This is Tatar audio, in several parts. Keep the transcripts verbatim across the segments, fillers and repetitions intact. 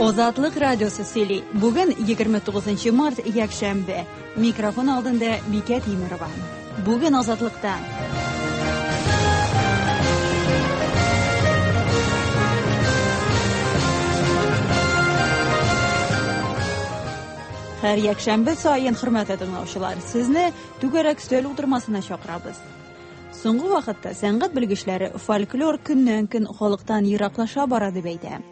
Азатлык радиосы сөйли. Бүген егерме тугызынчы март, якшәмбе. Микрофон алдында Бикә Тимерова. Бүген Азатлыкта. Һәр якшәмбе саен, хөрмәтле тыңлаучылар, сезне түгәрәк өстәл утырмасына чакырабыз. Соңгы вакытта сәнгать белгечләре фольклор көннән-көн халыктан ераклаша бара дип әйтә.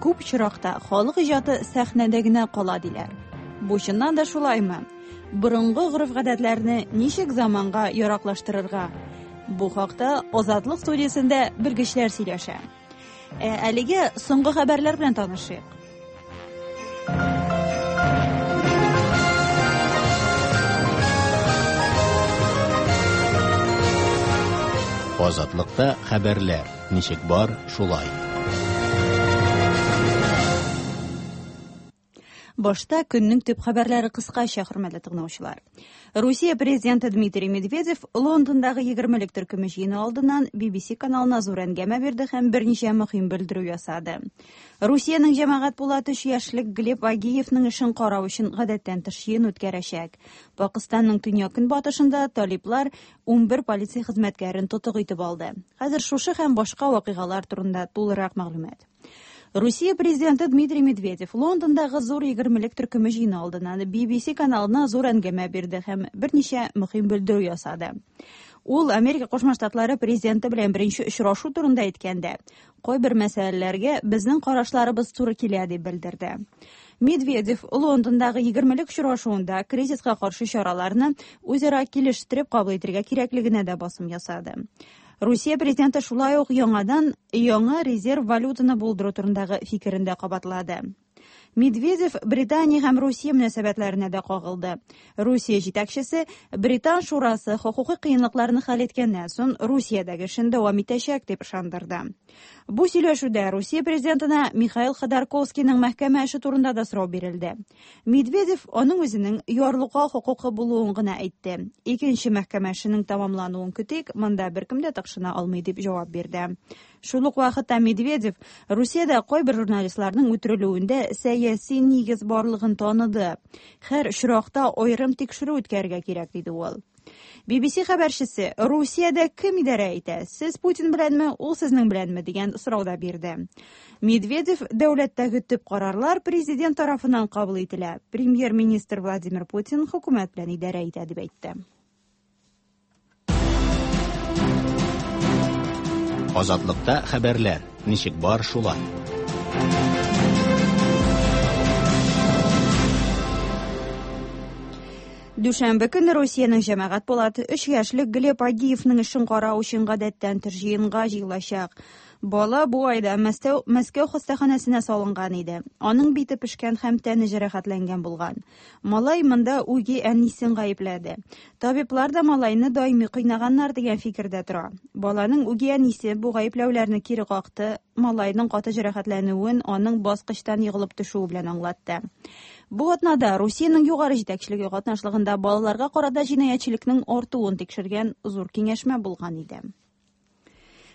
Күп очракта халык иҗаты сәхнәдә генә кала диләр. Бу чыннан да шулаймы? Борынгы гореф-гадәтләрне ничек заманга яраклаштырырга? Бу хакта Азатлык студиясендә белгечләр сөйләшә. Ә әлегә соңгы хәбәрләр белән танышыйк. Азатлыкта хәбәрләр ничек бар, шулай. Башта көннең төп хәбәрләре кыскача, хөрмәтле тыңлаучылар. Русия президенты Дмитрий Медведев Лондондагы егермелек төркеме җыены алдыннан Би Би Си каналына зур әңгәмә бирде һәм берничә мөһим белдерү ясады. Русиянең җәмәгать пулаты өч яшьлек Глеб Агеевның эшен карау өчен гадәттән тыш җыен үткәрәчәк. Пакыстанның төньяк-көнбатышында талиплар унбер полиция хезмәткәрен тотык итеп алды. Хәзер шушы һәм башка вакыйгалар турында тулырак мәгълүмат. Русия президенты Дмитрий Медведев Лондондагы зур егермелек төркеме җыены алдыннан Би Би Си каналына зур әңгәмә бирде һәм берничә мөһим белдерү ясады. Ул Америка Кушма Штатлары президенты белән беренче очрашу турында әйткәндә, кайбер мәсьәләләргә безнең карашларыбыз туры килә дип белдерде. Медведев Лондондагы егермелек очрашуында кризиска каршы чараларны үзара килештереп кабул итәргә кирәклегенә дә басым ясады. Русия президенты шулай ук яңадан яңа резерв валютаны булдыру турындагы фикерен дә кабатлады. Медведев Британия һәм Русия мөнәсәбәтләренә дә кагылды. Русия җитәкчесе Британ шурасы хокукый кыенлыкларны хәл иткәннән соң Русиядәге эшен дәвам итәчәк дип ышандырды. Бу сөйләшүдә Русия президентына Михаил Ходорковскийның мәхкәмә эше турында да сорау бирелде. Медведев аның үзенең ярлыкау хокукы булуын гына әйтте. Икенче мәхкәмә эшенең тәмамлануын көтик, монда беркем дә тыкшына алмый дип җавап бирде. Шул ук вакытта Медведев Русиядә кайбер журналистларның үтерелүендә сәяси нигез барлыгын таныды. Һәр очракта аерым тикшерү үткәрергә кирәк, диде ул. Би Би Си хәбәрчесе Русиядә кем идарә итә? Сез Путин беләнме, ул сезнең беләнме дигән сорау да бирде. Медведев дәүләттәге төп карарлар президент тарафыннан кабул ителә. Премьер-министр Владимир Путин хөкүмәт белән идарә итә дип әйтте. Азатлыкта хәбәрләр ничек бар, шулай. Дүшәмбе көне Русиянең җәмәгать палаты өч яшьлек Глеб Агеевның эшен карау өчен гадәттән тыш җыенга җыелачак. Бала бу айда Мәскәү, Мәскәү хастаханәсенә салынган иде. Аның бите пешкән һәм тәне җәрәхәтләнгән булган. Малай монда үги әнисен гаепләде. Табиблар да малайны даими кыйнаганнар дигән фикердә тора. Баланың үги әнисе бу гаепләүләрне кире какты, малайның каты җәрәхәтләнүен аның баскычтан егылып төшүе белән аңлатты. Бу атнада Русиянең югары җитәкчелеге катнашлыгында балаларга карата җинаятьчелекнең артуын тикшергән зур киңәшмә булган иде.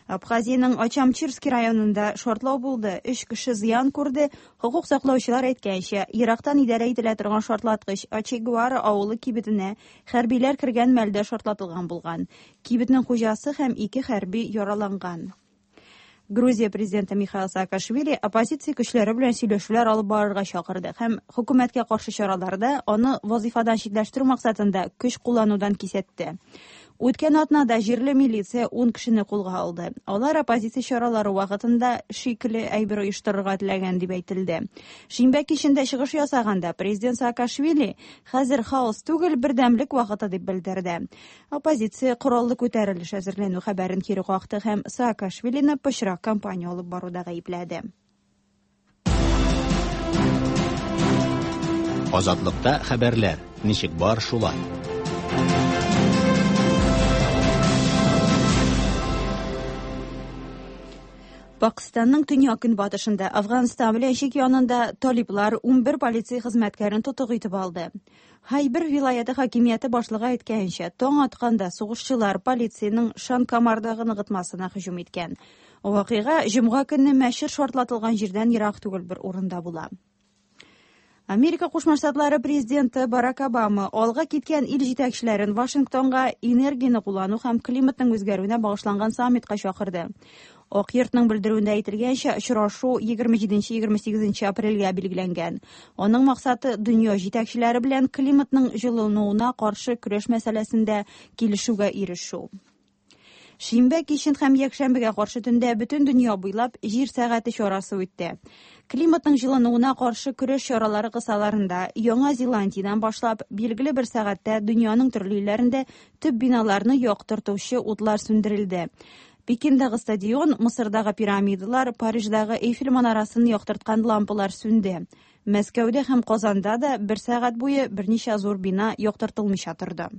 Абхазиянең Очамчирский районында шартлау булды. Өч кеше зыян күрде. Хокук саклаучылар әйткәнчә, ерактан идарә ителә торган шартлаткыч Ачигуара авылы кибетенә хәрбиләр кергән мәлдә шартлатылган булган. Кибетнең хуҗасы һәм ике хәрби яраланган. Грузия президенты Михаил Саакашвили оппозиция көчләре белән сөйләшүләр алып барырга чакырды һәм хөкүмәткә каршы чараларда аны вазифадан читләштерү максатында көч кулланудан кисәтте. Үткән атнада җирле милиция ун кешене кулга алды. Алар оппозиция чаралары вакытында шикле әйбер оештырырга теләгән дип әйтелде. Шимбә кичендә чыгыш ясаганда президент Саакашвили хәзер хаос түгел, бердәмлек вакыты дип белдерде. Оппозиция кораллы күтәрелеш әзерләнү хәбәрен кире какты һәм Саакашвилины пычрак кампания алып баруда гаепләде. Азатлыкта хәбәрләр ничек бар, шулай. Пакистанның төньяк көнбатышында Афганстан белән чик янында талиплар унбер полиция хезмәткәрен тотык итеп алды. Хайбер вилаяты хакимияте башлыгы әйткәнчә, таң атканда сугышчылар полициянең Шанкамардагы ныгытмасына һөҗүм иткән. Вакыйга җомга көнне мәчет шартлатылган җирдән ерак түгел бер урында була. Америка Кушма Штатлары президенты Барак Обама алга киткән ил җитәкчеләрен Вашингтонга энергияне куллану һәм климатның үзгәрүенә багышланган саммитка чакырды. Ак йортның белдерүендә әйтелгәнчә, очрашу егерме җиденче егерме сигезенче апрельгә билгеләнгән. Аның максаты дөнья җитәкчеләре белән климатның җылынуына каршы көрәш мәсьәләсендә килешүгә ирешү. Шимбә кичен һәм якшәмбегә каршы төндә бөтен дөнья буйлап җир сәгате чарасы үтте. Климатның җылынуына каршы көрәш чаралары кысаларында Яңа Зеландиядән башлап билгеле бер сәгатьтә дөньяның төрле илләрендә төп биналарны яктыртучы утлар сүндерелде. Пекиндагы стадион, Мысырдагы пирамидалар, Париждагы Эйфель манарасын яктырткан лампалар сүнде. Мәскәүдә һәм Казанда да бер сәгать буе берничә зур бина яктыртылмыйча торды.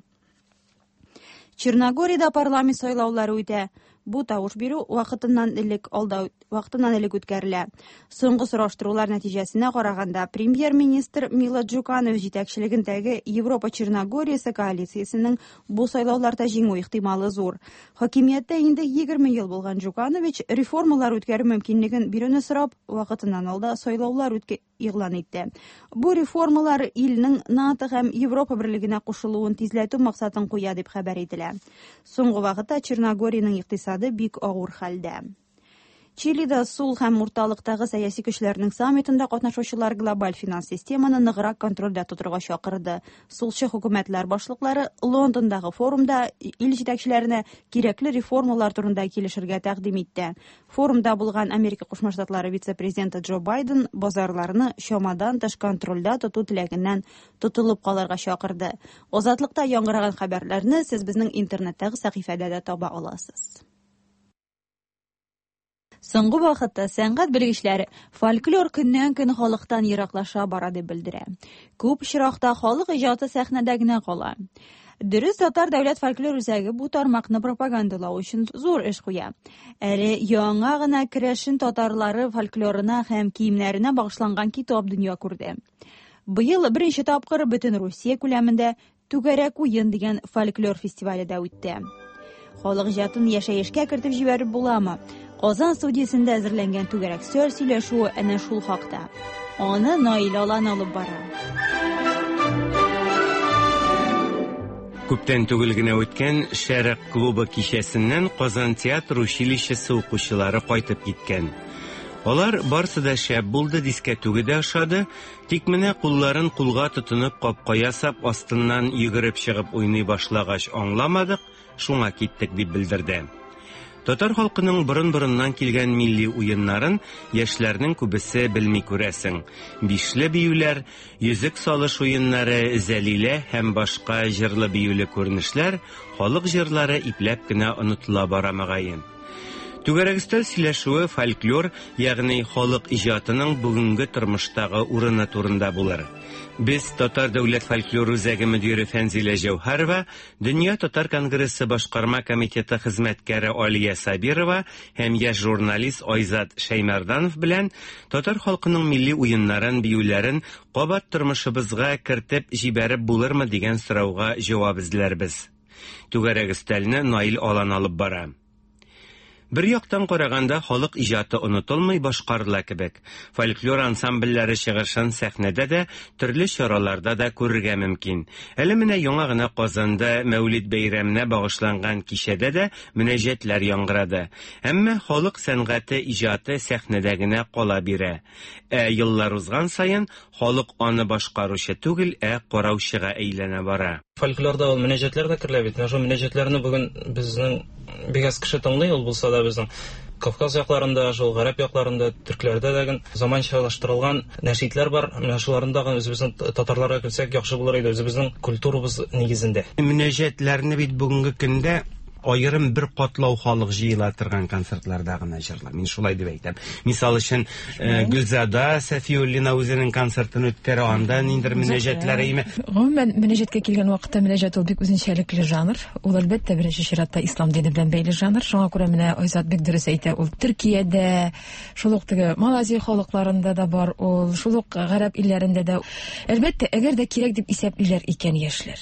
Черногориядә парламент сайлаулары үтә. Бу тавыш бирү вакытыннан элек алда вакытыннан элек үткәрелә. Соңгы сораштырулар нәтиҗәсенә караганда, премьер-министр Мила Джуканович җитәкчелегендәге Европа Черногориясе коалициясенең бу сайлауларда җиңү ихтималы зур. Хакимияттә инде егерме ел булган Джуканович реформалар үткәрү мөмкинлеген бирүне сорап, вакытыннан алда сайлаулар үткә игълан итте. Бу реформалар илнең НАТО һәм Европа берлегенә кушылуын тизләтү максатын куя дип хәбәр ителә. Соңгы вакытта Черногориянең икътисады бик авыр хәлдә. Чилида сул һәм урталыктагы сәяси көчләрнең саммитында катнашучылар глобаль финанс системаны ныграк контрольдә тотырга чакырды. Сулчы хөкүмәтләр башлыклары Лондондагы форумда ил җитәкчеләренә кирәкле реформалар турында килешергә тәкъдим итте. Форумда булган Америка Кушма Штатлары вице-президенты Джо Байден базарларны чамадан тыш контрольдә тоту теләгеннән тотылып калырга чакырды. Азатлыкта яңгыраган хәбәрләрне сез безнең интернеттагы сәхифәдә дә таба аласыз. Соңгы вакытта сәнгать белгечләре фольклор көннән-көн халыктан ераклаша бара дип белдерә. Күп очракта халык иҗаты сәхнәдә генә кала. Дөрес, Татар дәүләт фольклор үзәге бу тармакны пропагандалау өчен зур эш куя. Әле яңа гына керәшен татарлары фольклорына һәм киемнәренә багышланган китап дөнья күрде. Быел беренче тапкыр бөтен Русия күләмендә Түгәрәк уен дигән фольклор фестивале дә үтте. Халык иҗатын яшәешкә кертеп җибәреп буламы? Казан студиясендә әзерләнгән түгәрәк сөйл сөйләшүе әнә шул хакта. Аны Наил Алан алып бара. Күптән түгел генә үткән Шәрык клубы кичәсеннән Казан театр училищесы укучылары кайтып киткән. Алар барсы да шәп булды, дискәтүге дә ошады, тик менә кулларын кулга тотынып капка ясап астыннан йөгереп чыгып уйный башлагач аңламадык, шуңа киттек дип белдерде. Татар халкының борын-борыннан килгән милли уеннарын яшьләрнең күбесе белми күрәсең. Бишле биюләр, йөзек салыш уеннары, зәлилә һәм башка җырлы биюле күренешләр, халык җырлары ипләп кенә онытыла бара мөгаен. Түгәрәк өстәл сөйләшүе фольклор, ягъни халык иҗатының бүгенге тормыштагы урыны турында булыр. Без Татар дәүләт фольклор үзәге мөдире Фәнзилә Җәүһәрова, Дөнья татар конгрессы башкарма комитеты хезмәткәре Алия Сабирова һәм яшь журналист Айзат Шәймәрданов белән татар халкының милли уеннарын, биюләрен кабат тормышыбызга кертеп җибәреп булырмы дигән сорауга җавап эзләрбез. Түгәрәк өстәлне Наил Алан алып бара. Бер яктан караганда халык иҗаты онытылмый башкарыла кебек. Фольклор ансамбльләре чыгышын сәхнәдә дә, төрле чараларда да күрергә мөмкин. Әле менә яңа гына Казанда Мәүлид бәйрәменә багышланган кичәдә дә мөнәҗәтләр яңгырады. Әмма халык сәнгате иҗаты сәхнәдә генә кала бирә. Ә еллар узган саен халык аны башкаручы түгел, ә караучыга әйләнә бара. Фольклорда ул мөнәҗәтләр дә керелә бит. Менә шул мөнәҗәтләрне бүген безнең бик аз кеше тыңлый, ул булса да безнең Кавказ якларында, шул гарәп якларында, төркләрдә дә заманчалаштырылган нәшидләр бар. Менә шуларны да үзебезнең татарларга кертсәк яхшы булыр иде, үзебезнең культурабыз нигезендә. Мөнәҗәтләрне бит бүгенге көндә Аерым бер катлау халык җыела торган концертларда гына җырла. Мин шулай дип әйтәм. Мисал өчен, Гөлзада Сафиуллина үзенең концертын үткәрә, анда ниндидер мөнәҗәтләр име. Гомумән, мөнәҗәткә килгән вакытта мөнәҗәт ул бик үзенчәлекле жанр. Ул әлбәттә беренче чиратта ислам дине белән бәйле жанр. Шуңа күрә менә Айзат бик дөрес әйтә, ул Төркиядә, шул ук теге Малайзия халыкларында да бар, ул шул ук гарәп илләрендә дә. Әлбәттә, әгәр дә кирәк дип исәплиләр икән яшьләр.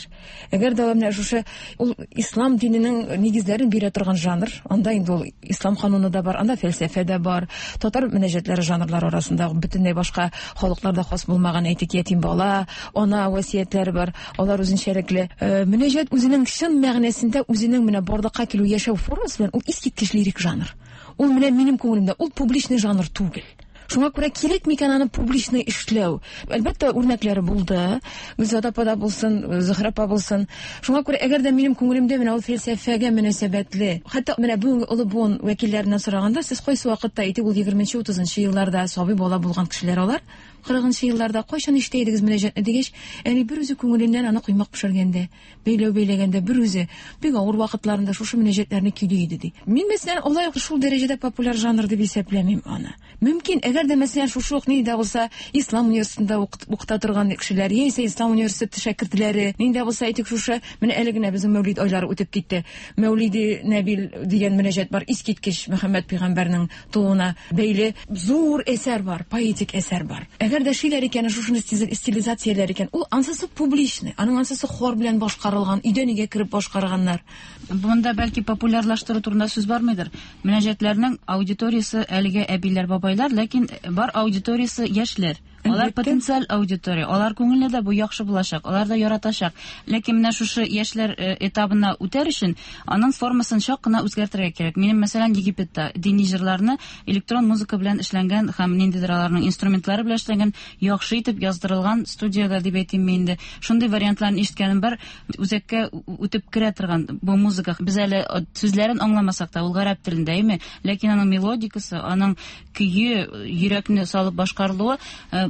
Әгәр дә менә шушы ул ислам диненең нигезләрен бирә торган жанр, анда инде ул ислам кануны да бар, анда фәлсәфә дә бар. Татар мөнәҗәтләре жанрлары арасында бөтенләй башка халыкларда хас булмаган, әйтик, ятим бала, ана васыятьләре бар, алар үзенчәлекле. Мөнәҗәт үзенең чын мәгънәсендә үзенең менә барлыкка килү яшәү формасы белән ул искиткеч лирик жанр. Ул менә минем күңелемдә ул публичный жанр түгел. Шуңа күрә кирәк микән аны публичный эшләү? Әлбәттә, үрнәкләре булды. Гөлзада апа да булсын, Зөһрә апа булсын. Шуңа күрә әгәр дә минем күңелемдә менә ул фәлсәфәгә мөнәсәбәтле, хәтта менә бүгенге олы буын вәкилләреннән сораганда, сез кайсы вакытта, әйтик, ул егерменче, утызынчы елларда сабый бала булган кешеләр алар, кырыгынчы елларда кайчан ишетә идегез мөнәҗәтне дигәч, әни бер үзе күңеленнән аны коймак пешергәндә, бәйләү бәйләгәндә бер үзе бик авыр вакытларында шушы мөнәҗәтләрне көйли иде ди. Мин мәсәлән алай ук шул дәрәҗәдә популяр жанр дип исәпләмим аны. Мөмкин, әгәр дә мәсәлән шушы ук нинди дә булса ислам университетында укыта торган кешеләр, яисә ислам университеты шәкертләре, нинди дә булса әйтик шушы, менә әле генә безнең Мәүлид айлары үтеп китте. Мәүлиде Нәбил дигән мөнәҗәт бар, искиткеч Мөхәммәд пәйгамбәрнең тууына бәйле зур әсәр бар, поэтик әсәр бар. Әгәр дә шиләр икән, шушыны стилизацияләр икән, ул ансысы публичный, аның ансысы хор белән башкарылган, өйдән өйгә кереп башкарганнар. Монда бәлки популярлаштыру турында сүз бармыйдыр. Мөнәҗәтләрнең аудиториясе әлегә әбиләр, бабайлар, ләкин бар аудиториясе яшьләр. Алар потенциаль аудитория, алар күңелле дә бу яхшы булачак, алар да яратачак. Ләкин менә шушы яшьләр этабына үтәр өчен аның формасын чак кына үзгәртергә кирәк. Минем, мәсәлән, Египетта дини җырларны электрон музыка белән эшләнгән һәм ниндидер аларның инструментлары белән эшләнгән, яхшы итеп яздырылган студияда дип әйтим инде. Шундый вариантларны ишеткәнем бар, үзәккә үтеп керә торган бу музыка. Без әле сүзләрен аңламасак та, ул гарәп телендә, әйме? Ләкин аның мелодикасы, аның көе, йөрәкне салып башкарылуы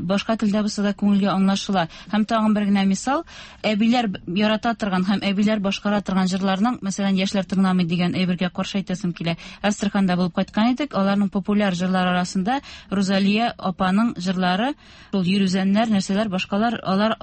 башка телдә булса да күңелгә аңлашыла. Һәм тагын бер генә мисал, әбиләр ярата торган һәм әбиләр башкара торган җырларның, мәсәлән, яшьләр тыңламый дигән әйбергә каршы әйтәсем килә. Әстерханда булып кайткан идек, аларның популяр җырлары арасында Рузалия апаның җырлары, шул йөрүзәннәр, нәрсәләр, башкалар, алар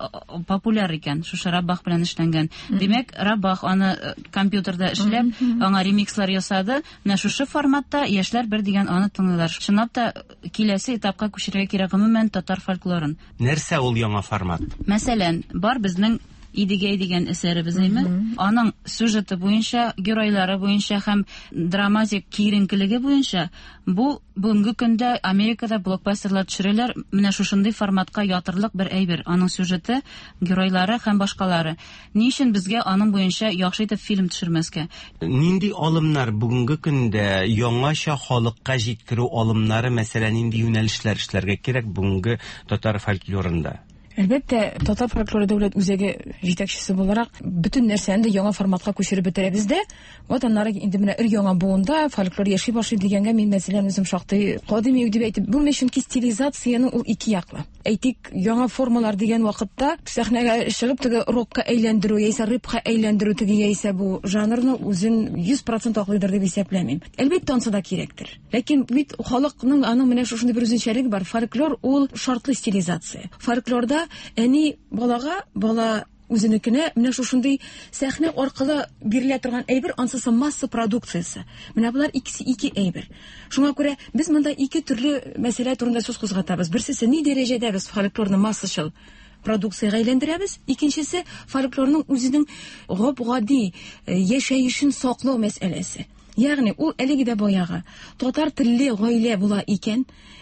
популяр икән, шушы Раббах белән эшләнгән. Димәк, Раббах аны компьютерда эшләп, аңа ремикслар ясады. Менә шушы форматта яшьләр бер дигән аны тыңлыйлар. Чынлап та киләсе этапка күчерергә кирәк гомумән татар фольклорын. Нәрсә ул яңа формат? Мәсәлән, бар безнең Идегәй дигән әсәребез, әйме? Аның сюжеты буенча, геройлары буенча һәм драматик киеренкелеге буенча бу бүгенге көндә Америкада блокбастерлар төшерәләр, менә шушындый форматка ятырлык бер әйбер. Аның сюжеты, геройлары һәм башкалары. Ни өчен безгә аның буенча яхшы итеп фильм төшермәскә? Нинди алымнар бүгенге көндә яңача халыкка җиткерү алымнары, мәсәлән, нинди юнәлешләр эшләргә кирәк бүгенге татар фольклорында? Әлбәттә, Татар фольклоры дәүләт үзәге җитәкчесе буларак бөтен нәрсәне дә яңа форматка күчереп бетерәбез дә. Вот аннары инде менә өр яңа буында фольклор яши башлый дигәнгә мин мәсәлән үзем шактый кадими дип әйтеп булмый, чөнки стилизацияның ул ике яклы. Әйтик, яңа формалар дигән вакытта сәхнәгә чыгып теге рокка әйләндерү яисә рэпка әйләндерү теге яисә бу жанрны үзен йөз процент аклыйдыр дип исәпләмим. Әлбәттә, ансы да кирәктер. Ләкин бит халыкның аның менә шушындый бер үзенчәлеге бар. Фольклор ул шартлы стилизация. Фольклорда әни балага, бала үзенекенә менә шушындый сәхнә аркылы бирелә торган әйбер, ансысы масса продукциясе. Менә болар икесе ике әйбер. Шуңа күрә без монда ике төрле мәсьәлә турында сүз кузгатабыз. Берсесе ни дәрәҗәдә без фольклорны массачыл продукциягә әйләндерәбез, икенчесе фольклорның үзенең гап-гади яшәешен саклау мәсьәләсе. Ягъни ул әлеге дә баягы татар телле гаилә була икән,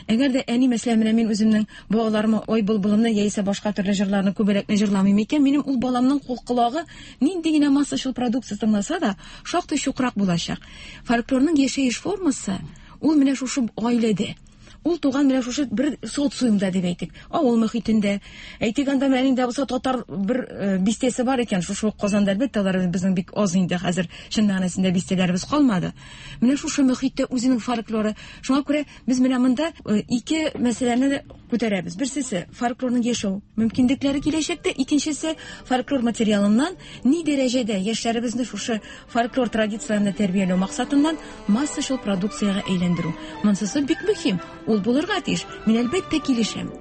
әгәр дә әни, мәсәлән, менә мин үземнең балаларыма ой былбылымны яисә башка төрле җырларны күбәләкне җырламыйм икән, минем ул баламның колагы нинди генә массачыл продукция тыңласа да, шактый чукрак булачак. Фольклорның яшәеш формасы ул менә шушы гаиләдә. Ул туган менә шушы бер социумда дип әйтик, авыл мөхитендә. Әйтик, анда менә инде булса татар бер бистәсе бар икән, шушы Казанда әлбәттә алар безнең бик аз инде хәзер чын мәгънәсендә бистәләребез калмады. Менә шушы мөхиттә үзенең фольклоры. Шуңа күрә без менә монда ике мәсьәләне күтәрәбез. Берсесе фольклорның яшәү мөмкинлекләре киләчәктә, икенчесе фольклор материалыннан ни дәрәҗәдә яшьләребезне шушы фольклор традицияләрен тәрбияләү максатыннан массачыл продукциягә әйләндерү. Монысы бик мөһим. Ул булырга тиеш. Мин әлбәттә килешәм.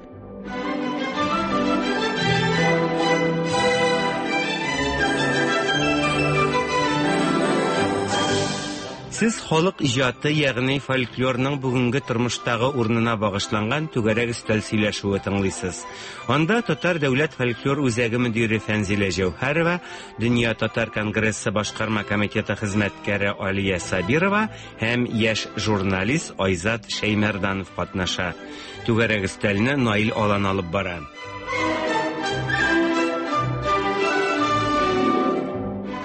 Сез халык иҗаты, ягъни фольклорның бүгенге тормыштагы урынына багышланган түгәрәк өстәл сөйләшүе тыңлыйсыз. Анда Татар дәүләт фольклор үзәге мөдире Фәнзилә Җәүһәрова, Дөнья татар конгрессы башкарма комитеты хезмәткәре Алия Сабирова һәм яшь журналист Айзат Шәймәрданов катнаша. Түгәрәк өстәлне Наил Алан алып бара.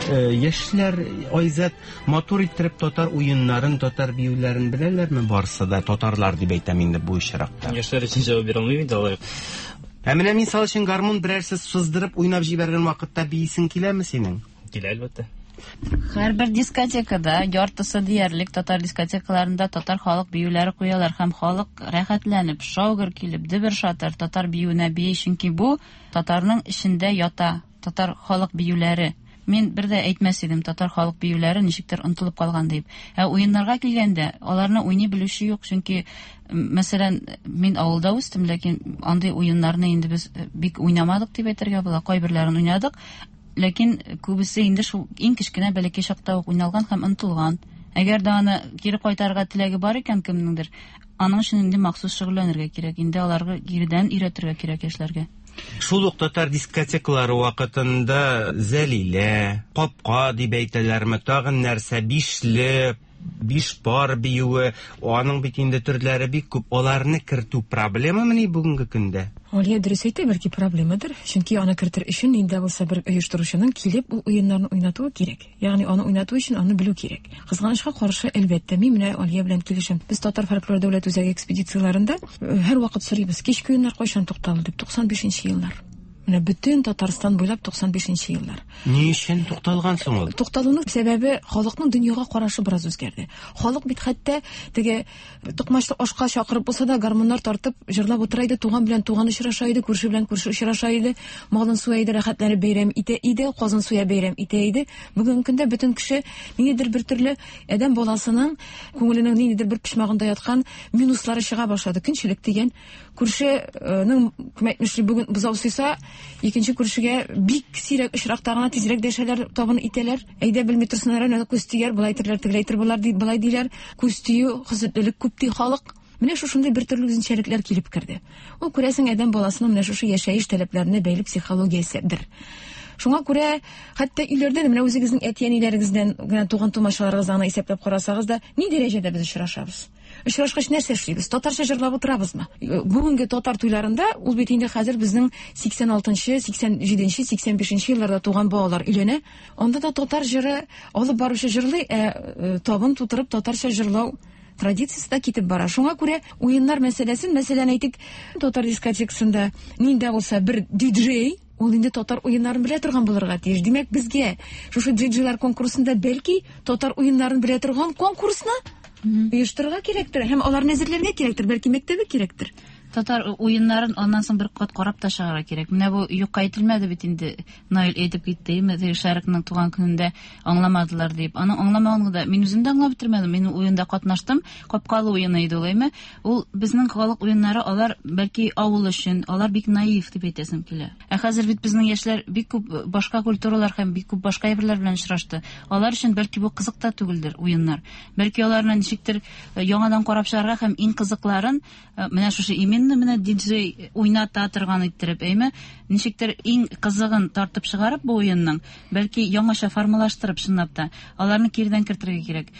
Яшьләр, Айзат, матур иттереп татар уеннарын, татар биюләрен беләләрме барсы да? Татарлар дип әйтәм инде бу очракта. Яшьләр өчен җавап бирә алмыйм инде алай. Ә менә мисал өчен гармун берәрсе сыздырып уйнап җибәргән вакытта биисең киләме синең? Килә, әлбәттә. Һәрбер дискотекада, яртысы диярлек татар дискотекаларында татар халык биюләре куялар һәм халык рәхәтләнеп, шаугыр килеп, дөбер шатыр татар биюенә бии, чөнки бу татарның эчендә ята, татар халык биюләре. Мин бер дә әйтмәс идем, татар халык биюләре ничектер онытылып калган дип. Ә уеннарга килгәндә, аларны уйный белүче юк, чөнки, мәсәлән, мин авылда үстем, ләкин андый уеннарны инде без бик уйнамадык дип әйтергә була. Кайберләрен уйнадык, ләкин күбесе инде шул иң кечкенә бәләкәй чакта ук уйналган һәм онытылган. Әгәр дә аны кире кайтарырга теләге бар икән кемнеңдер, аның өчен инде махсус шөгыльләнергә кирәк, инде аларга киредән өйрәтергә кирәк яшьләргә. Шул ук татар дискотекалары вакытында Зәлилә, Капка дип әйтәләрме, тагын нәрсә, бишле, биш пар биюе, аның бит инде төрләре бик күп. Аларны кертү проблемамыни бүгенге көндә? Алия дөрес әйтә, бәлки проблемадыр. Чөнки аны кертер өчен инде булса бер оештыручының килеп ул уеннарны уйнатуы кирәк. Ягъни аны уйнату өчен аны белү кирәк. Кызганычка каршы, әлбәттә, мин менә Алия белән килешәм. Без Татар фольклор дәүләт үзәге экспедицияләрендә һәрвакыт сорыйбыз, кичке уеннар кайчан тукталды дип, туксан бишенче еллар. Менә бөтен Татарстан буйлап туксан бишенче еллар. Ни өчен тукталган соң ул? Тукталуның сәбәбе халыкның дөньяга карашы бераз үзгәрде. Халык бит хәтта теге токмачлы ашка чакырып булса да гармуннар тартып җырлап утыра иде, туган белән туган очраша иде, күрше белән күрше очраша иде, малын суя иде, рәхәтләнеп бәйрәм итә иде, казын суя бәйрәм итә иде. Бүгенге көндә бөтен кеше ниндидер бер төрле адәм баласының күңеленең ниндидер бер почмагында яткан минуслары чыга башлады. Көнчелек дигән, күршенең кем әйтмешли бүген бозау суйса, икенче күршегә бик сирәк очракта гына тизрәк дәшәләр, табын итәләр. Әйдә белми торсыннар, әнә күз тияр, болай әйтерләр, тегеләй әйтер, болар ди, болай диләр. Күз тию, хезмәтлелек күп ди халык. Менә шушындый бер төрле үзенчәлекләр килеп керде. Ул күрәсең адәм баласының менә шушы яшәеш таләпләренә бәйле психологияседер. Шуңа күрә хәтта өйләрдә дә менә үзегезнең әти-әниләрегездән генә туган тумачаларыгыздан исәпләп карасагыз да, ни дәрәҗәдә без очрашабыз? Очрашкач нәрсә эшлибез? Татарча җырлап утырабызмы? Бүгенге татар туйларында ул бит инде хәзер безнең сиксән алтынчы, сиксән җиденче, сиксән бишенче елларда туган балалар өйләнә. Анда да татар җыры алып баручы җырлый, ә табын тутырып татарча җырлау традициясе дә китеп бара. Шуңа күрә уеннар мәсьәләсен, мәсәлән, әйтик, татар дискотекасында нинди булса бер диджей, ул инде татар уеннарын белә торган булырга тиеш. Димәк, безгә шушы диджейлар конкурсында бәлки татар уеннарын белә торган конкурсны оештырырга кирәктер һәм аларны әзерләргә кирәктер, бәлки мәктәбе кирәктер. Татар уеннарын аннан соң бер кат карап та чыгарга кирәк. Менә бу юкка әйтелмәде бит инде. Наил әйтеп китте, теге Шәрыкның туган көнендә аңламадылар дип. Аны аңламаганда да мин үзем дә аңлап бетермәдем. Мин уенда катнаштым. Капкалы уены иде ул, әйме? Ул безнең халык уеннары, алар бәлки авыл өчен, алар бик наив дип әйтәсем килә. Ә хәзер бит безнең яшьләр бик күп башка культуралар һәм бик күп башка әйберләр белән очрашты. Алар өчен бәлки бу кызык та түгелдер уеннар. Бәлки аларны ничектер яңадан карап чыгарга һәм иң кызыкларын менә шушы именно менә диджей уйната торган иттереп, әйме, ничектер иң кызыгын тартып чыгарып бу уенның, бәлки яңача формалаштырып чынлап та аларны кирдән кертергә кирәк.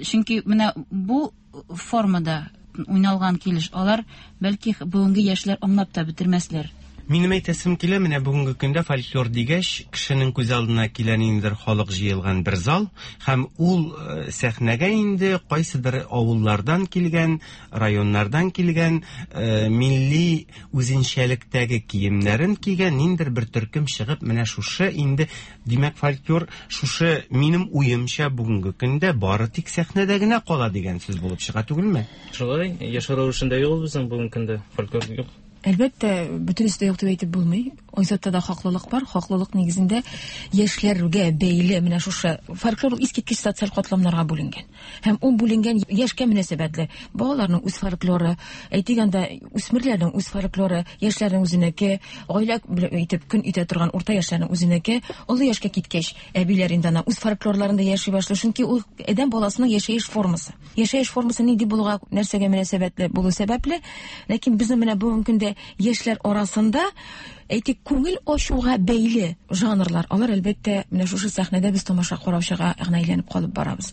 Чөнки менә бу формада уйналган килеш алар бәлки бүгенге яшьләр аңлап та бетермәсләр. Минем әйтәсем килә, менә бүгенге көндә фольклор дигәч, кешенең күз алдына килә ниндидер халык җыелган бер зал, һәм ул сәхнәгә инде кайсыдыр авыллардан килгән, районнардан килгән, милли үзенчәлектәге киемнәрен кигән ниндидер бер төркем чыгып, менә шушы инде, димәк, фольклор шушы минем уемча бүгенге көндә бары тик сәхнәдә генә кала дигән сүз булып чыга түгелме? Шулай, яшәү рәвешендә юк безнең бүгенге көндә фольклор юк. Әлбәттә, бөтенесе дә юк дип әйтеп булмый. Айзатта да хаклылык бар. Хаклылык нигезендә яшьләргә бәйле менә шушы фольклор искиткеч социаль катламнарга бүленгән. Һәм ул бүленгән яшькә мөнәсәбәтле. Балаларның үз фольклоры, әйтик анда үсмерләрнең үз фольклоры, яшьләрнең үзенеке, гаилә итеп көн итә торган урта яшьләрнең үзенеке, олы яшькә киткәч, әбиләр инде ана үз фольклорларында яши башлый. Чөнки ул адәм баласының яшәеш формасы. Яшәеш формасы нинди булуга, нәрсәгә мөнәсәбәтле булу сәбәпле, ләкин безнең менә бүгенге көндә яшьләр арасында әйтик күңел ачуга бәйле жанрлар, алар әлбәттә менә шушы сәхнәдә без тамаша караучыга гына әйләнеп калып барабыз.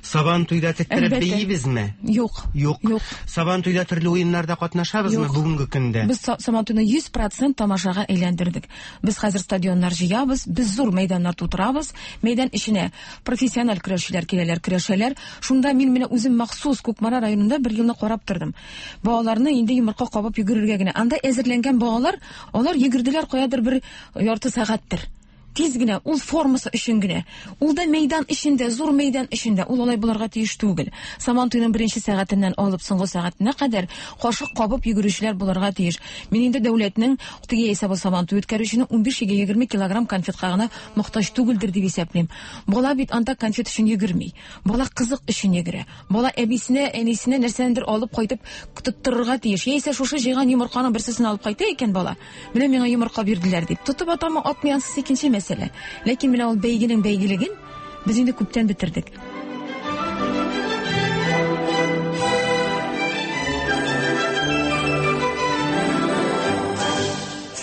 Сабан туйда теттереп бейибезме? Юк. Юк. Юк. Сабан туйда төрле уеннарда катнашабызмы бүгенге көндә? Без Сабан туйны йөз процент тамашага әйләндердек. Без хәзер стадионнар җыябыз, без зур мәйданнар тутырабыз. Мәйдан эченә профессиональ көрәшчеләр киләләр, көрәшәләр. Шунда мин менә үзем махсус Кукмара районында бер елны карап тордым. Балаларны инде йомырка кабып йөгерергә генә. Анда әзерләнгән балалар, алар йөгерделәр каядыр бер ярты сәгатьтер. Тиз генә, ул формасы өчен генә. Ул да мәйдан эчендә, зур мәйдан эчендә, ул алай булырга тиеш түгел. Сабан туйның беренче сәгатеннән алып соңгы сәгатенә кадәр кашык кабып йөгерүчеләр булырга тиеш. Мин инде дәүләтнең теге яисә бу Сабан туй үткәрүченең унбиш егерме килограмм конфетка гына мохтаҗ түгелдер дип исәплим. Бала бит анда конфет өчен йөгерми. Бала кызык өчен йөгерә. Бала әбисенә, әнисенә нәрсәндер алып кайтып тоттырырга тиеш. Яисә шушы җыйган йомырканың берсен алып кайта икән бала. Менә миңа йомырка бирделәр дип. Тотып атамы, атмый, ансыз икенче мәсьәлә. Ләкин менә ул бәйгенең бәйгелеген без инде күптән бетердек.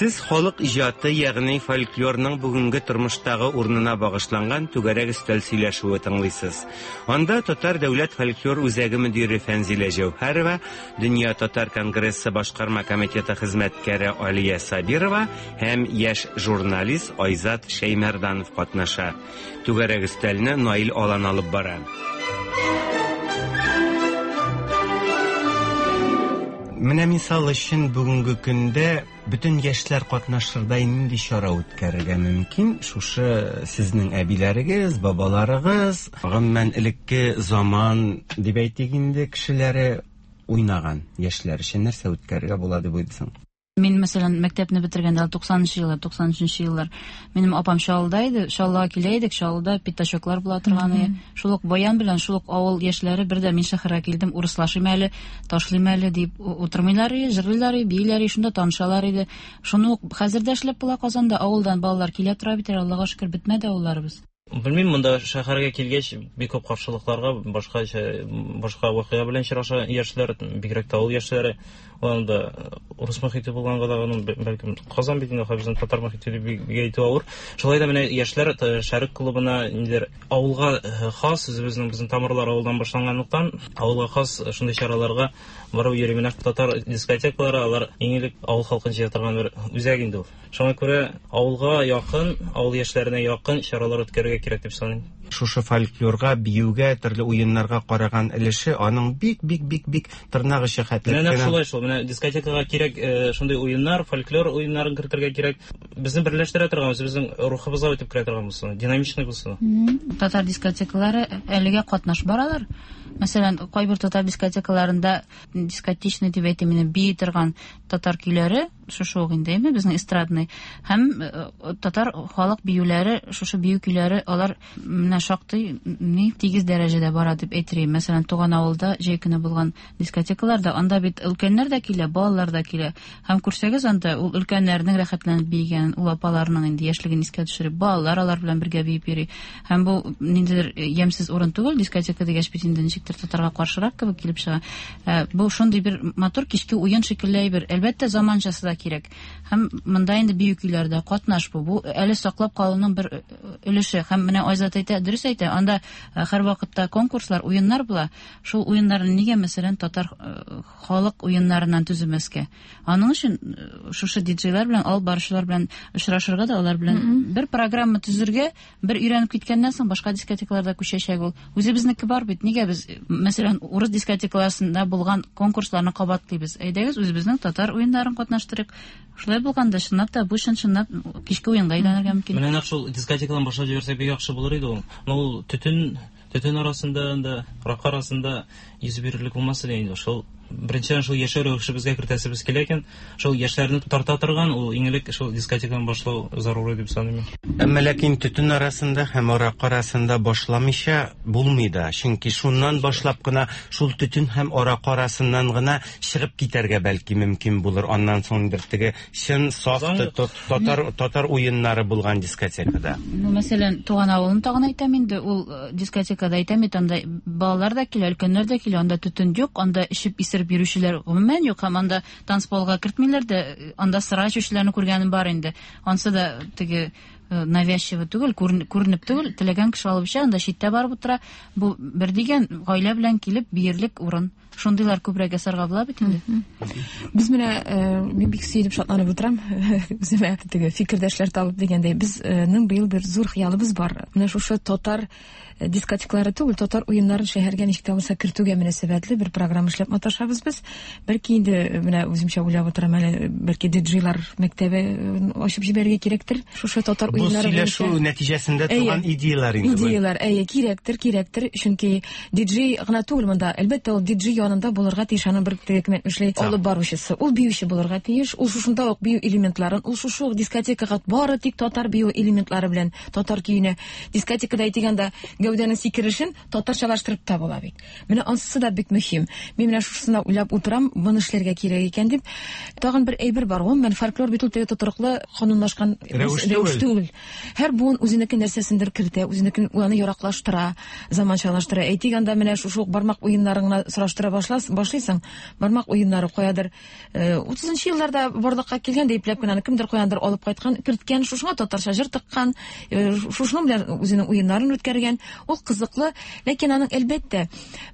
Сез халык иҗаты, ягъни фольклорның бүгенге тормыштагы урынына багышланган түгәрәк өстәл сөйләшүе тыңлыйсыз. Анда Татар дәүләт фольклор үзәге мөдире Фәнзилә Җәүһәрова, Дөнья татар конгрессы башкарма комитеты хезмәткәре Алия Сабирова һәм яшь журналист Айзат Шәймәрданов катнаша. Түгәрәк өстәлне Наил Алан алып бара. Менә мисал өчен бүгенге көндә бөтен яшьләр катнашырдай нинди чара үткәрергә мөмкин? Шушы сезнең әбиләрегез, бабаларыгыз, гомумән элекке заман дип әйтик инде, кешеләре уйнаган яшьләр өчен нәрсә үткәрергә була дип уйлыйсың? Мин, мәсәлән, мәктәпне бетергәндә туксанынчы еллар, туксан өченче еллар минем апам Чаллыда иде, Чаллыга килә идек, Чаллыда пятачоклар була торган иде. Шул ук баян белән шул ук авыл яшьләре бер дә мин шәһәргә килдем, урыслашыйм әле, ташлыйм әле дип утырмыйлар иде, җырлыйлар иде, бииләр иде, шунда танышалар иде. Шуны ук хәзер дә эшләп була Казанда, авылдан балалар килә тора бит, Аллага шөкер, бетмәде авылларыбыз. Белмим, монда шәһәргә килгәч бик күп каршылыкларга, башка башка вакыйга белән очраша яшьләр, бигрәк тә авыл яшьләре. Анда урыс мохите булганга да, аның бәлкем Казан бит инде безнең татар мохите дип әйтү авыр. Шулай да менә яшьләр Шәрык клубына нидер авылга хас, үзебезнең безнең тамырлар авылдан башланганлыктан, авылга хас шундый чараларга барып йөри. Менә татар дискотекалары, алар иң элек авыл халкын җыя торган бер үзәк инде ул. Шуңа күрә авылга якын, авыл яшьләренә якын чаралар үткәрергә кирәк дип саныйм. Шушы фольклорга, биюгә, төрле уеннарга караган өлеше аның бик бик бик бик тырнак очы хәтле. Менә шулай шул. Менә дискотекага кирәк шундый уеннар, фольклор уеннарын кертергә кирәк. Безне берләштерә торган, безнең рухыбызга үтеп керә торган булсын, динамичный булсын. Татар дискотекалары әлегә катнаш баралар. Мәсәлән, кайбер татар дискотекаларында дискотечный дип әйтим, инде бии торган татар көйләре, шушы ук инде, әйме, безнең эстрадный һәм татар халык биюләре, шушы бию көйләре, алар менә шактый ни тигез дәрәҗәдә бара дип әйтер идем. Мәсәлән, туган авылда җәй көне булган дискотекаларда анда бит өлкәннәр дә килә, балалар да килә. Һәм күрсәгез анда ул өлкәннәрнең рәхәтләнеп биегән, ул апаларның инде яшьлеген искә төшереп, балалар алар белән бергә биеп йөри. Һәм бу ниндидер ямьсез урын түгел, дискотека дигәч бит инде ничектер татарга каршырак кебек килеп чыга. Бу шундый бер матур кичке уен шикелле бер. Әлбәттә, заманчасы да кирәк. Һәм монда инде бию көйләре катнаш бу. Бу әле саклап калуның бер өлеше. Һәм менә Айзат әйтә, дөрес әйтә, анда һәр вакытта конкурслар, уеннар була. Шул уеннарны нигә, мәсәлән, татар халык уеннарыннан төземәскә? Аның өчен шушы диджейлар белән, алып баручылар белән очрашырга да, алар белән бер программа төзергә, бер өйрәнеп киткәннән соң башка дискотекаларда күчәчәк ул. Үзебезнеке бар бит. Нигә без, мәсәлән, урыс дискотекаларында булган конкурсларны кабатлыйбыз? Әйдәгез, үзебезнең татар уеннарын катнаштырыйк. Шулай булганда, чынлап та бу чын-чынлап кичке уенга әйләнергә мөмкин. Менә нәкъ шул дискотекадан башлап җибәрсәк бик яхшы булыр иде ул. Но ул төтен, төтен арасында, анда рак арасында йөз бирерлек булмас иде инде. Шул беренчедән шул яшәү рәвешебезгә кертәсебез килә икән, шул яшьләрне тарта торган ул иң элек шул дискотекадан башлау зарури дип саныйм. Әмма ләкин төтен арасында һәм арак арасында башламыйча булмый да, чөнки шуннан башлап кына шул төтен һәм арак арасыннан гына чыгып китәргә бәлки мөмкин булыр. Аннан соң бер теге чын саф татар татар уеннары булган дискотекада. Ну, мәсәлән, туган авылын тагын әйтәм инде, ул дискотекада әйтәм бит, анда балалар да килә, өлкәннәр дә килә, анда төтен юк, анда эчеп исереп йөрүчеләр гомумән юк, һәм анда танцполга кертмиләр дә, анда сыра эчүчеләрне күргәнем бар инде. Ансы да теге навязчиво түгел, күренеп түгел, теләгән кеше алып эчә, анда читтә барып утыра. Бу бер дигән гаилә белән килеп биерлек урын. Шундыйлар күбрәк ясарга була бит инде. Без менә, мин бик сөенеп шатланып утырам, үземә теге фикердәшләр табып дигәндәй, безнең быел бер зур хыялыбыз бар. Менә шушы татар дискотекалары түгел, татар уеннарын шәһәргә ничек тә булса кертүгә мөнәсәбәтле бер программа эшләп маташабыз без. Бәлки инде менә үземчә уйлап утырам әле, бәлки диджейлар мәктәбе ачып җибәрергә кирәктер. Шушы татар уеннары бу сөйләшү нәтиҗәсендә туган идеялар инде. Идеялар, әйе, кирәктер, кирәктер, чөнки диджей гына түгел монда. Әлбәттә, ул диджей янында булырга тиеш, аның бер теге эшли алып баручысы. Ул биюче булырга тиеш, ул шушында ук бию элементларын, ул шушы ук дискотекага бары тик татар бию элементлары белән, татар көенә. Дискотекада әйтегәндә гәүдәнең сикерешен татарчалаштырып та була бит. Менә ансы да бик мөһим. Мин менә шушысына уйлап утырам, моны эшләргә кирәк икән дип. Тагын бер әйбер бар, гомумән фольклор бит ул теге тотрыклы канунлашкан рәвеш түгел. Һәр буын үзенеке нәрсәсендер кертә, үзенекен аны яраклаштыра, заманчалаштыра. Әйтик, анда менә шушы ук бармак уеннарын гына сораштыра башлыйсың. Бармак уеннары каядыр утызынчы елларда барлыкка килгән дип ипләп кенә кемдер каяндыр алып кайткан, керткән, шушыңа татарча җыр тыккан, шушының белән үзенең уеннарын үткәргән. Ул кызыклы, ләкин аның әлбәттә,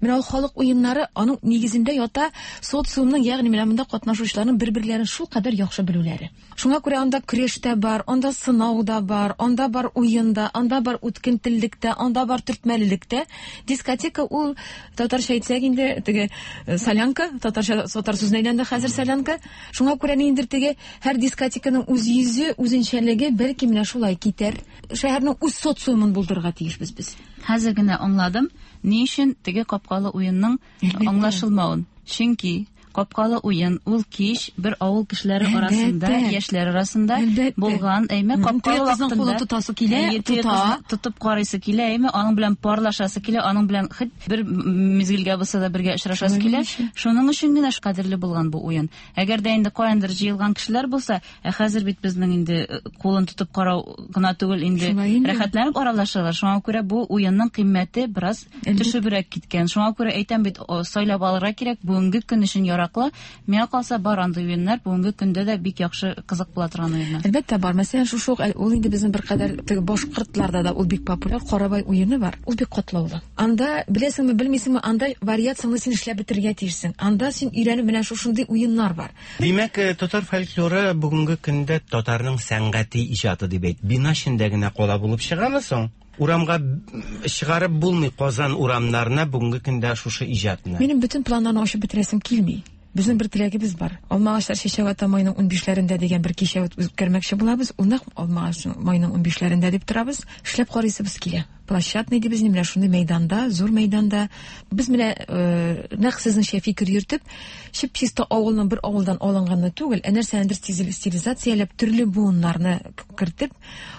менә ул халык уеннары аның нигезендә ята социумның, ягъни менә монда катнашучыларның бер-берләрен шулкадәр яхшы белүләре. Шуңа күрә анда көрәш тә бар, анда сынау да бар, анда бар уен да, анда бар үткен теллек тә, анда бар төртмәлелек тә. Дискотека ул татарча әйтсәк инде теге солянка, татарча татар сүзенә әйләнде хәзер солянка. Шуңа күрә ниндидер теге һәр дискотеканың үз йөзе, үзенчәлеге бәлки менә шулай китәр. Шәһәрнең үз социумын булдырырга тиешбез без. Хәзер генә аңладым, ни өчен теге капкалы уенның аңлашылмавын. Чөнки капкалы уен ул кич бер авыл кешеләре арасында, яшьләр арасында булган, әйме, капкалы вакытында кулы тотасы килә, тота, тотып карыйсы килә, әйме, аның белән парлашасы килә, аның белән хит бер мизгелгә булса да бергә очрашасы килә. Шуның өчен генә кадерле булган бу уен. Әгәр дә инде каяндыр җыелган кешеләр булса, ә хәзер бит безнең инде кулын тотып карау гына түгел, инде рәхәтләнеп аралашалар. Шуңа күрә бу уенның кыйммәте бераз төшебрәк киткән. Шуңа күрә әйтәм бит, сайлап алырга кирәк, бүгенге көн өчен ярак. Миңа калса бар андый уеннар бүгенге көндә дә бик яхшы кызык була торган уеннар. Әлбәттә бар. Мәсәлән, шушы ук ул инде безнең беркадәр теге башкортларда да ул бик популяр Карабай уены бар. Ул бик катлаулы. Анда беләсеңме, белмисеңме, анда вариацияны син эшләп бетерергә тиешсең. Анда син өйрәнеп менә шушындый уеннар бар. Димәк, татар фольклоры бүгенге көндә татарның сәнгати иҗаты дип әйт. Бина эчендә генә кала булып чыгамы соң? Урамга чыгарып булмый Казан урамнарына бүгенге көндә шушы иҗатны. Минем бөтен планнарны ачып бетерәсем килми. Безнең бер теләгебез бар. Алмагачлар чәчәк ата майның унбишләрендә дигән бер кичә үткәрмәкче булабыз. Ул нәкъ алмагач майның унбишләрендә дип торабыз. Эшләп карыйсыбыз килә. Площадный дибез, менә шундый мәйданда, зур мәйданда. Без менә нәкъ сезнеңчә фикер йөртеп, чип-чиста авылның бер авылдан алынганны түгел, ә нәрсәнедер стилизацияләп, төрле буыннарны кертеп,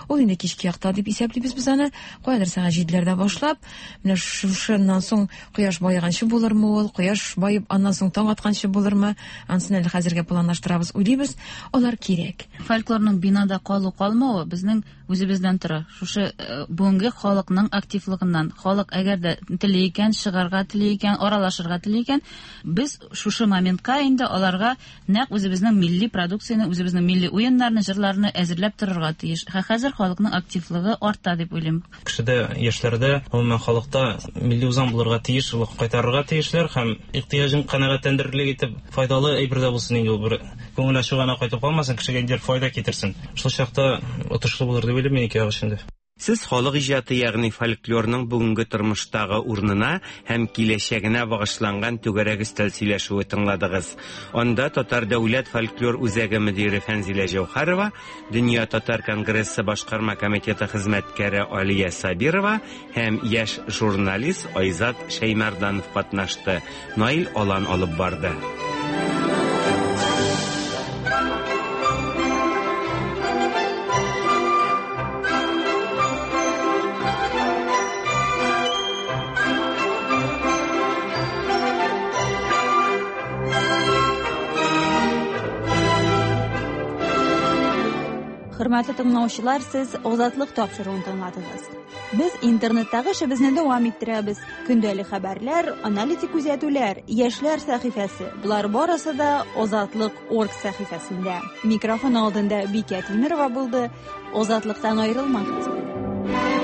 ул инде кичке якта дип исәплибез без аны. Каядыр сәгать җиделәрдә башлап, менә шушыннан соң кояш баеганчы булырмы ул, кояш баеп аннан соң таң атканчы булырмы, анысын әле хәзергә планлаштырабыз, уйлыйбыз. Алар кирәк. Фольклорның бинада калу-калмавы безнең Үзебездән тора. Шушы бүгенге халыкның активлыгыннан. Халык әгәр дә тели икән, чыгарга тели икән, аралашырга тели икән, без шушы моментка инде аларга нәкъ үзебезнең милли продукцияне, үзебезнең милли уеннарны, җырларны әзерләп торырга тиеш. Хәзер халыкның активлыгы арта дип уйлыйм. Кешедә, яшьләрдә, гомумән халыкта милли үзаң булырга тиеш, ул кайтарырга тиешләр һәм ихтыяҗын канәгатьләндерерлек итеп файдалы әйбер дә булсын инде ул, бер күңел ачу гына кайтып калмасын, кешегә инде файда китерсен. Шул чакта отышлы булыр дип уйлыйм мин ике як өчен дә. Сез халык иҗаты, ягъни фольклорның бүгенге тормыштагы урынына һәм киләчәгенә багышланган түгәрәк өстәл сөйләшүе тыңладыгыз. Анда Татар дәүләт фольклор үзәге мөдире Фәнзилә Җәүһәрова, Дөнья татар конгрессы башкарма комитеты хезмәткәре Алия Сабирова һәм яшь журналист Айзат Шәймәрданов катнашты. Наил Алан алып барды. Хөрмәтле тыңлаучылар, сез Озатлык тапшыруын тыңладыгыз. Без интернеттагы эшебезне дәвам иттерәбез. Көндәлек хәбәрләр, аналитик күзәтүләр, яшьләр сәхифәсе. Болар барысы да Озатлык орг сәхифәсендә. Микрофон алдында Бикә Тимирова булды. Озатлыктан аерылмагыз.